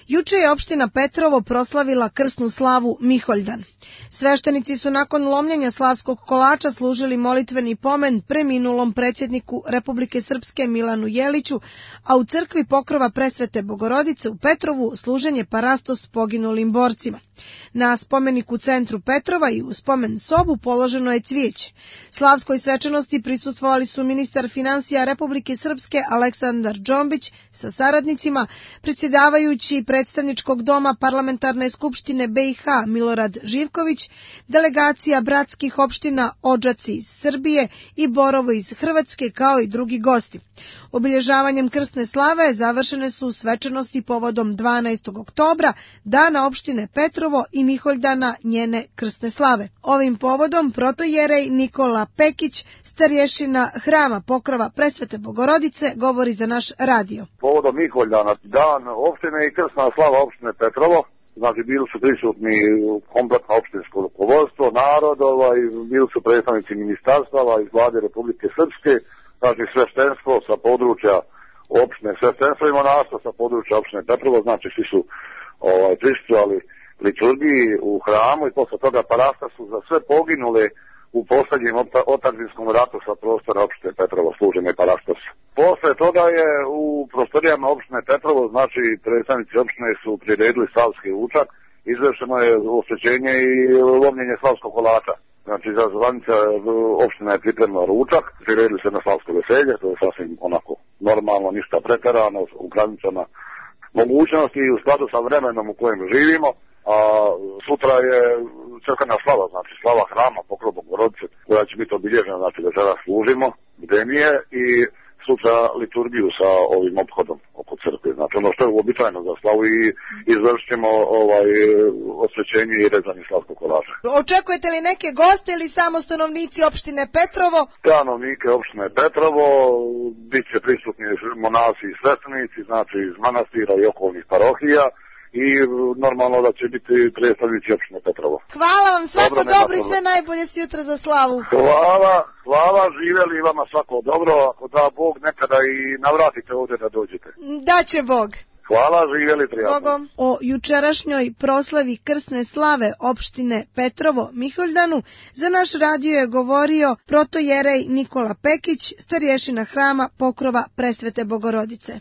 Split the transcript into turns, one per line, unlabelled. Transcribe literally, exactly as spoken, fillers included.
Juče je opština Petrovo proslavila krsnu slavu Miholjdan. Sveštenici su nakon lomljenja slavskog kolača služili molitveni pomen preminulom predsjedniku Republike Srpske Milanu Jeliću, a u crkvi Pokrova Presvete Bogorodice u Petrovu služen je parastos poginulim borcima. Na spomeniku u centru Petrova i u spomen sobu položeno je cvijeće. Slavskoj svečanosti prisustvovali su ministar finansija Republike Srpske Aleksandar Džombić sa saradnicima, predsjedavajući predstavničkog doma Parlamentarne skupštine B i H Milorad Živković, delegacija bratskih opština Odžaci iz Srbije i Borovo iz Hrvatske, kao i drugi gosti. Obilježavanjem krsne slave završene su svečanosti povodom dvanaestog oktobra, dana opštine Petrovo i Miholjdana njene krsne slave. Ovim povodom protojerej Nikola Pekić, starješina hrama Pokrova Presvete Bogorodice, govori za naš radio.
Povodom Miholjdana, dan opštine i krsna slava opštine Petrovo, znači bili su prisutni kompletno opštinsko rukovodstvo, narod, ovaj, bili su predstavnici ministarstava iz vlade Republike Srpske, znači sveštenstvo sa područja opštine, sveštenstvo i monaštvo sa područja opštine Petrovo, znači svi su ovaj, prisustvovali liturgiji u hramu i posle toga parasta su za sve poginule u posljednjem otadžinskom ratu sa prostora opštine Petrovo služene parastos. Posle toga je u prostorijama opštine Petrovo, znači predstavnici opštine su priredili slavski ručak, izvršeno je osvećenje i lomljenje slavskog kolača. Znači, za zvanica opština je pripremila ručak, priredili se na slavsko veselje, to je sasvim onako normalno, ništa preterano, u granicama mogućnosti i u skladu sa vremenom u kojem živimo. A sutra je crkvena slava, znači slava hrama Pokrova Bogorodice, koja će biti obilježena, znači da sada služimo bdenije i sutra liturgiju sa ovim ophodom oko crkve. Znači ono što je uobičajeno za slavu i izvršit ćemo ovaj, osvećenje i rezanje slavskog kolača.
Očekujete li neke goste ili samo stanovnici opštine Petrovo?
Stanovnike opštine Petrovo, bit će prisutni monasi i sveštenici, znači iz manastira i okolnih parohija, i normalno da će biti predstavnici opštine Petrovo.
Hvala vam, svako dobro, dobro i sve najbolje sutra za slavu.
Hvala, hvala, živjeli i vama svako dobro, ako da Bog nekada i navratite ovdje da dođete.
Da će Bog.
Hvala, živjeli prijatno.
O jučerašnjoj proslavi krsne slave opštine Petrovo Miholjdanu za naš radio je govorio protojerej Nikola Pekić, starješina hrama Pokrova Presvete Bogorodice.